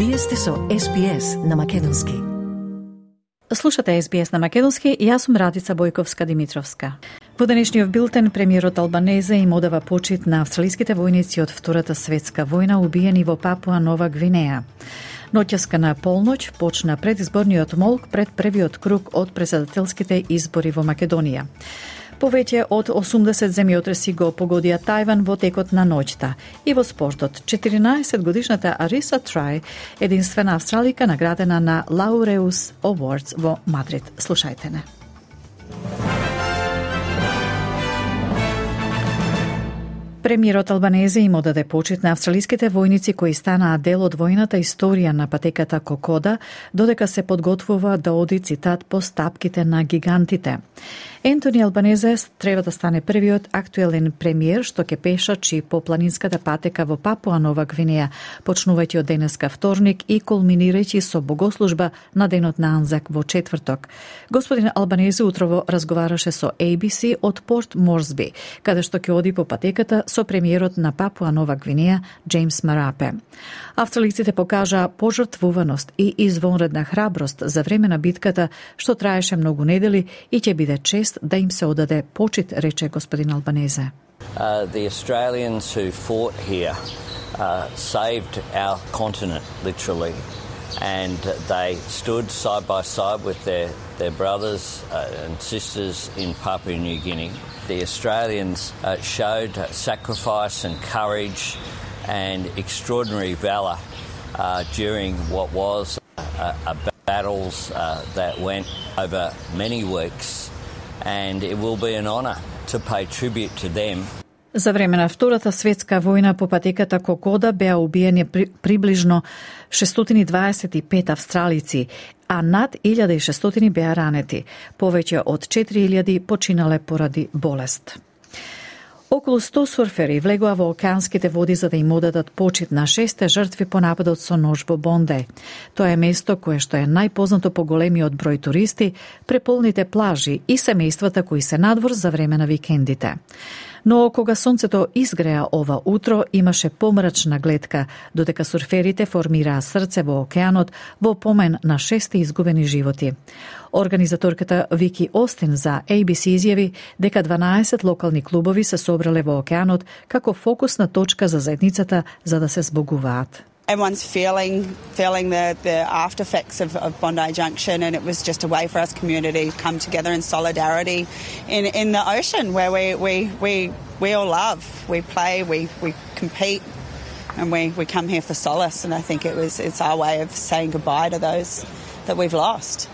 Вие сте со SBS на Македонски. Слушате SBS на Македонски и јас сум Радица Бојковска-Димитровска. Во денешниот билтен, премиерот Албанезе им одава почит на австралиските војници од Втората светска војна убиени во Папуа Нова Гвинеја. Ноќеска на полноќ почна предизборниот молк пред првиот круг од претседателските избори во Македонија. Повеќе од 80 земјотреси го погодија Тајван во текот на ноќта. И во спортот, 14-годишната Ариса Трај, единствена австралика наградена на Laureus Awards во Мадрид. Слушајте не. Премиерот Албанезе им одаде почит на австралиските војници кои станаа дел од војната историја на патеката Кокода, додека се подготвува да оди, цитат, по стапките на гигантите. Ентони Албанезе треба да стане првиот актуелен премиер што ќе пешачи по планинската патека во Папуа Нова Гвинеја, почнувајќи од денеска вторник и кулминирајќи со богослужба на денот на Анзак во четврток. Господин Албанезе утрово разговараше со ABC од Порт Морсби, каде што ќе оди по патеката со премиерот на Папуа Нова Гвинеја Джеймс Марапе. Австралиците покажаа пожртвуваност и извонредна храброст за време на битката што траеше многу недели и ќе биде чест да им се одаде почит, рече господин Албанезе. The Australians who fought here saved our continent, literally, and they stood side by side with their brothers and sisters in Papua New Guinea. The Australians showed sacrifice and courage and extraordinary valour during what was battles that went over many weeks, and it will be an honour to pay tribute to them. За време на Втората светска војна по патеката Кокода беа убиени приближно 625 австралици, а над 1600 беа ранети. Повеќе од 4000 починале поради болест. Околу 100 сурфери влегоа во океанските води за да им одадат почит на 6 жртви по нападот со нож во Бондеј. Тоа е место кое што е најпознато по големиот број туристи, преполните плажи и семејствата кои се надвор за време на викендите. Но кога сонцето изгреа ова утро, имаше помрачна гледка, додека сурферите формираа срце во океанот во помен на 6 изгубени животи. Организаторката Вики Остин за ABC изјави дека 12 локални клубови се собрале во океанот како фокусна точка за заедницата за да се збогуваат. Everyone's feeling the after effects of Bondi Junction, and it was just a way for us community to come together in solidarity in the ocean where we all love. We play, we compete, and we come here for solace. And I think it's our way of saying goodbye to those that we've lost.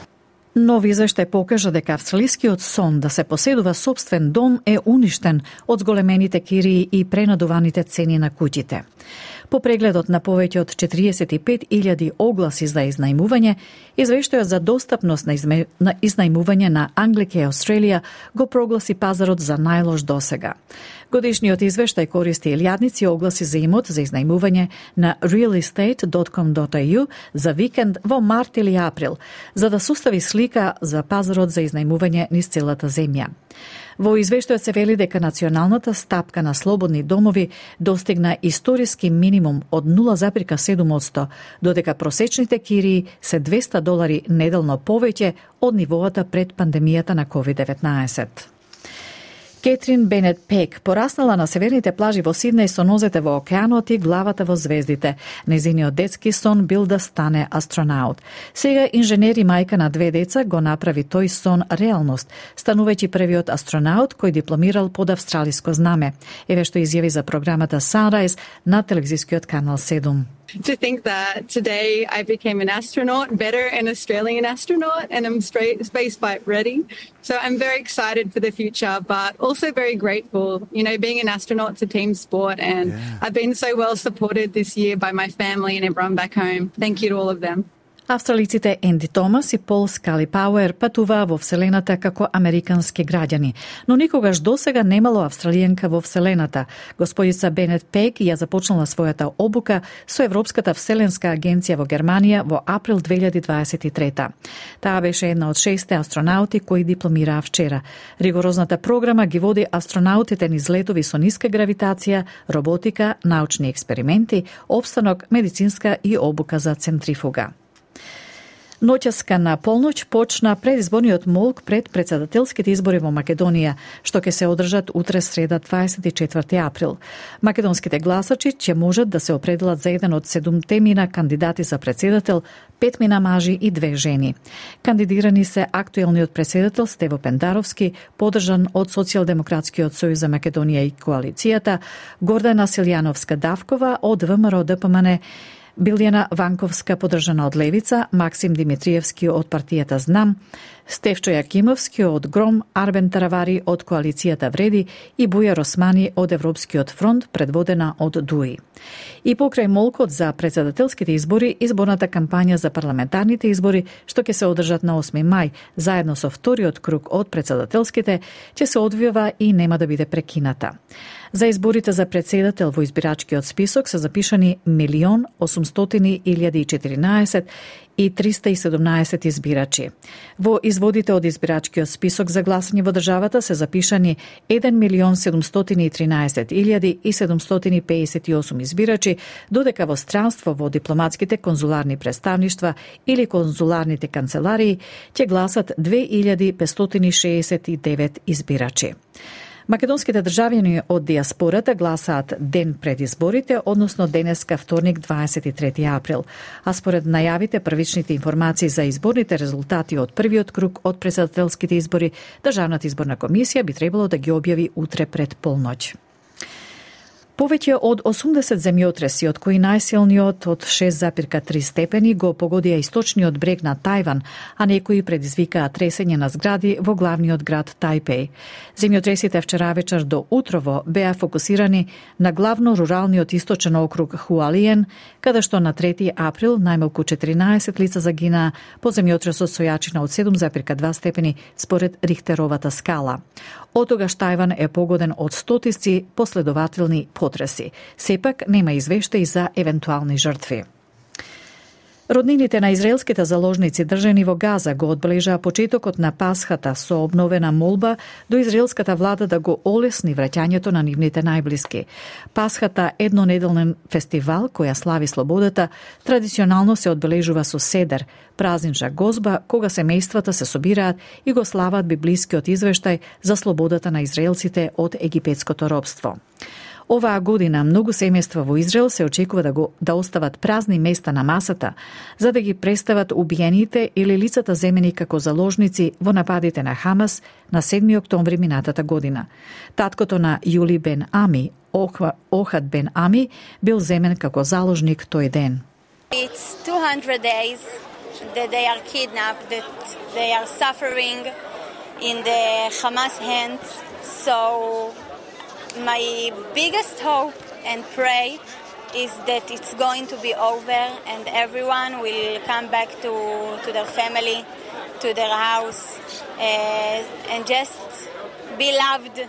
Нов извештај покажа дека австралискиот сон да се поседува сопствен дом е уништен од зголемените кирии и пренадуваните цени на куќите. По прегледот на повеќе од 45.000 огласи за изнајмување, извештајот за достапност на изнајмување на Anglicare Australia го прогласи пазарот за најлош досега. Годишниот извештај користи илјадници огласи за имот за изнајмување на realestate.com.au за викенд во март или април, за да состави слика за пазарот за изнајмување низ целата земја. Во извештајот се вели дека националната стапка на слободни домови достигна историски минимум од 0,7%, додека просечните кирии се $200 неделно повеќе од нивоата пред пандемијата на COVID-19. Кетрин Бенет Пек пораснала на северните плажи во Сиднеј со нозете во океанот и главата во звездите. Незиниот детски сон бил да стане астронаут. Сега инженер и мајка на 2 деца го направи тој сон реалност, станувајќи првиот астронаут кој дипломирал под австралиско знаме. Еве што изјави за програмата Sunrise на телевизискиот канал 7. To think that today I became an astronaut, better an Australian astronaut, and I'm space flight ready. So I'm very excited for the future, but also very grateful. You know, being an astronaut's a team sport, and I've been so well supported this year by my family and everyone back home. Thank you to all of them. Австралиците Енди Томас и Пол Скали Пауер патуваа во Вселената како американски граѓани, но никогаш досега немало австралијанка во Вселената. Господица Бенет Пег ја започнала својата обука со Европската Вселенска агенција во Германија во април 2023. Таа беше една од 6 астронаути кои дипломираа вчера. Ригорозната програма ги води астронаутите низ летови со ниска гравитација, роботика, научни експерименти, обстанок, медицинска и обука за центрифуга. Ноќаска на полноќ почна предизборниот молк пред председателските избори во Македонија, што ќе се одржат утре среда 24 април. Македонските гласачи ќе можат да се определат за еден од 7 мина кандидати за председател, 5 мина мажи и 2 жени. Кандидирани се актуелниот председател Стево Пендаровски, поддржан од Социјалдемократскиот сојуз за Македонија и коалицијата, Гордана Силјановска-Давкова од ВМРО-ДПМН, Билјана Ванковска, поддржана од Левица, Максим Димитриевски од партијата Знам, Стефчо Јакимовски од Гром, Арбен Таравари од коалицијата Вреди и Бујар Османи од Европскиот фронт, предводена од ДУИ. И покрај молкот за председателските избори, изборната кампања за парламентарните избори, што ќе се одржат на 8 мај, заедно со вториот круг од председателските, ќе се одвива и нема да биде прекината. За изборите за председател во избирачкиот список се запишани 1.800.014 и 317 избирачи. Во изводите од избирачкиот список за гласање во државата се запишани 1.713.758 избирачи, додека во странство во дипломатските конзуларни представништва или конзуларните канцеларии ќе гласат 2.569 избирачи. Македонските државјани од диаспората гласаат ден пред изборите, односно денеска вторник 23 април. А според најавите првичните информации за изборните резултати од првиот круг од председателските избори, Државната изборна комисија би требало да ги објави утре пред полноќ. Повеќе од 80 земјотреси, од кои најсилниот од 6,3 степени го погодија источниот брег на Тајван, а некои предизвикаа тресење на згради во главниот град Тајпеј. Земјотресите вчера вечер до утрово беа фокусирани на главно руралниот источен округ Хуалиен, каде што на 3 април најмалку 14 лица загинаа по земјотресот со јачина од 7,2 степени според Рихтеровата скала. Отогаш Тајван е погоден од стотици последователни потреси. Сепак нема извештаи за евентуални жртви. Роднините на израелските заложници држани во Газа го одбележаа почетокот на Пасхата со обновена молба до израелската влада да го олесни враќањето на нивните најблиски. Пасхата, еднонеделен фестивал која слави слободата, традиционално се одбележува со седер, празнична гозба, кога семејствата се собираат и го слават библискиот извештај за слободата на израелците од египетското робство. Оваа година многу семејства во Израел се очекува да остават празни места на масата, за да ги представат убиените или лицата земени како заложници во нападите на Хамас на 7 октомври минатата година. Таткото на Јули Бен Ами, Охад Бен Ами, бил земен како заложник тој ден. It's 200 days that they are kidnapped, that they are suffering in the Hamas hands. So my biggest hope and pray is that it's going to be over and everyone will come back to their family, to their house, and just be loved.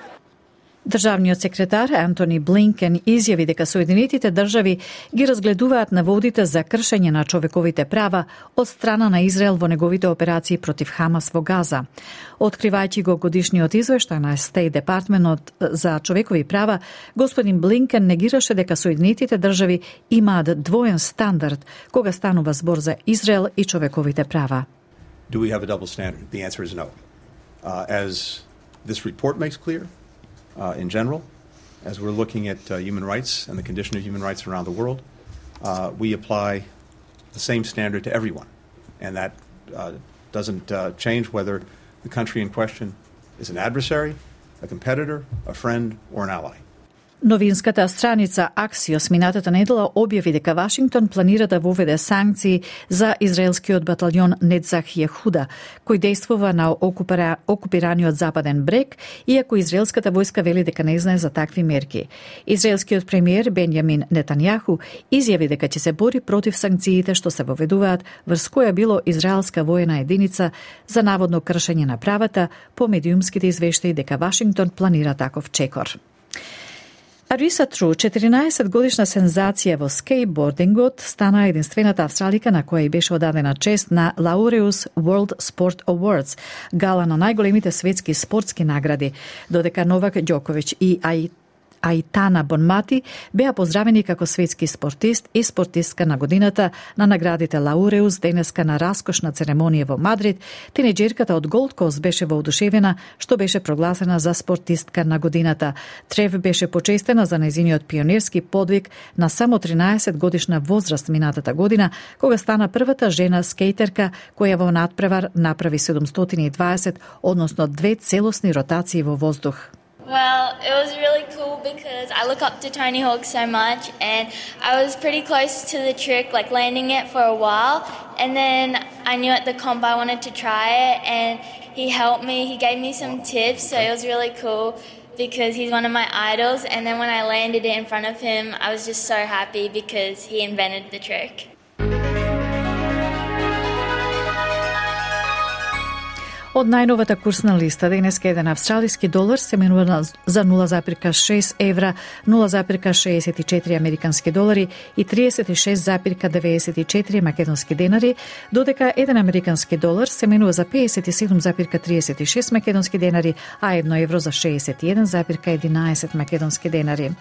Државниот секретар Антони Блинкен изјави дека Соединетите држави ги разгледуваат наводите за кршење на човековите права од страна на Израел во неговите операции против Хамас во Газа. Откривајќи го годишниот извештај на Стейт Департментот за човекови права, господин Блинкен негираше дека Соединетите држави имаат двоен стандард кога станува збор за Израел и човековите права. Do we have a double standard? The answer is no. As this report makes clear, in general, as we're looking at human rights and the condition of human rights around the world, we apply the same standard to everyone. And that doesn't change whether the country in question is an adversary, a competitor, a friend, or an ally. Новинската страница Axios минатата недела објави дека Вашингтон планира да воведе санкции за израелскиот баталјон Нецах Јехуда, кој действува на окупираниот Западен брег, иако израелската војска вели дека не знае за такви мерки. Израелскиот премиер Бенјамин Нетањаху изјави дека ќе се бори против санкциите што се воведуваат врз која било израелска воена единица за наводно кршење на правата по медиумските извештаи дека Вашингтон планира таков чекор. Арisa Тру, 14-годишна сензација во скейтбордингот, стана единствената австралика на која и беше одадена чест на Laureus World Sport Awards, гала на најголемите светски спортски награди, додека Новак Ѓоковиќ и Аитана Бонмати беа поздравени како светски спортист и спортистка на годината на наградите Лауреус денеска на раскошна церемонија во Мадрид. Тинеџерката од Голд Кост беше воодушевена што беше прогласена за спортистка на годината. Трев беше почестена за нејзиниот пионерски подвиг на само 13 годишна возраст минатата година, кога стана првата жена скејтерка која во надпревар направи 720, односно 2 целосни ротации во воздух. Well, it was really cool because I look up to Tony Hawk so much, and I was pretty close to the trick, like landing it for a while, and then I knew at the comp I wanted to try it, and he helped me, he gave me some tips, so it was really cool because he's one of my idols, and then when I landed it in front of him, I was just so happy because he invented the trick. Од најновата курсна листа денеска еден австралиски долар се менува за 0,6 евра, 0,64 американски долари и 36,94 македонски денари, додека еден американски долар се менува за 57,36 македонски денари, а 1 евро за 61,11 македонски денари.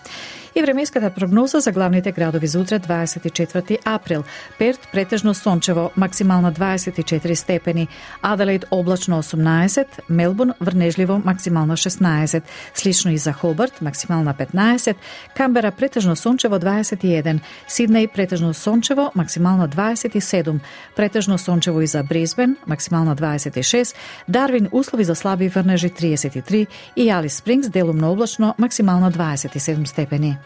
И временската прогноза за главните градови за утре 24 април. Перт претежно сончево, максимална 24 степени, Аделаид облачно 18, Мелбурн врнежливо, максимална 16, слично и за Хобарт, максимална 15, Камбера претежно сончево 21, Сиднеј претежно сончево, максимална 27, претежно сончево и за Брисбен, максимална 26, Дарвин услови за слаби врнежи 33 и Алис Спрингс делумно облачно, максимална 27 степени.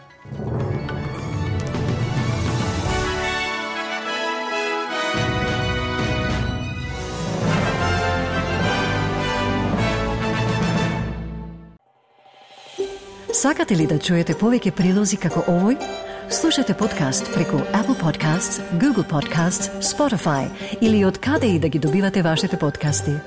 Сакате ли да чуете повеќе прилози како овој? Слушате подкаст преку Apple Podcasts, Google Podcasts, Spotify или од каде и да ги добивате вашите подкасти.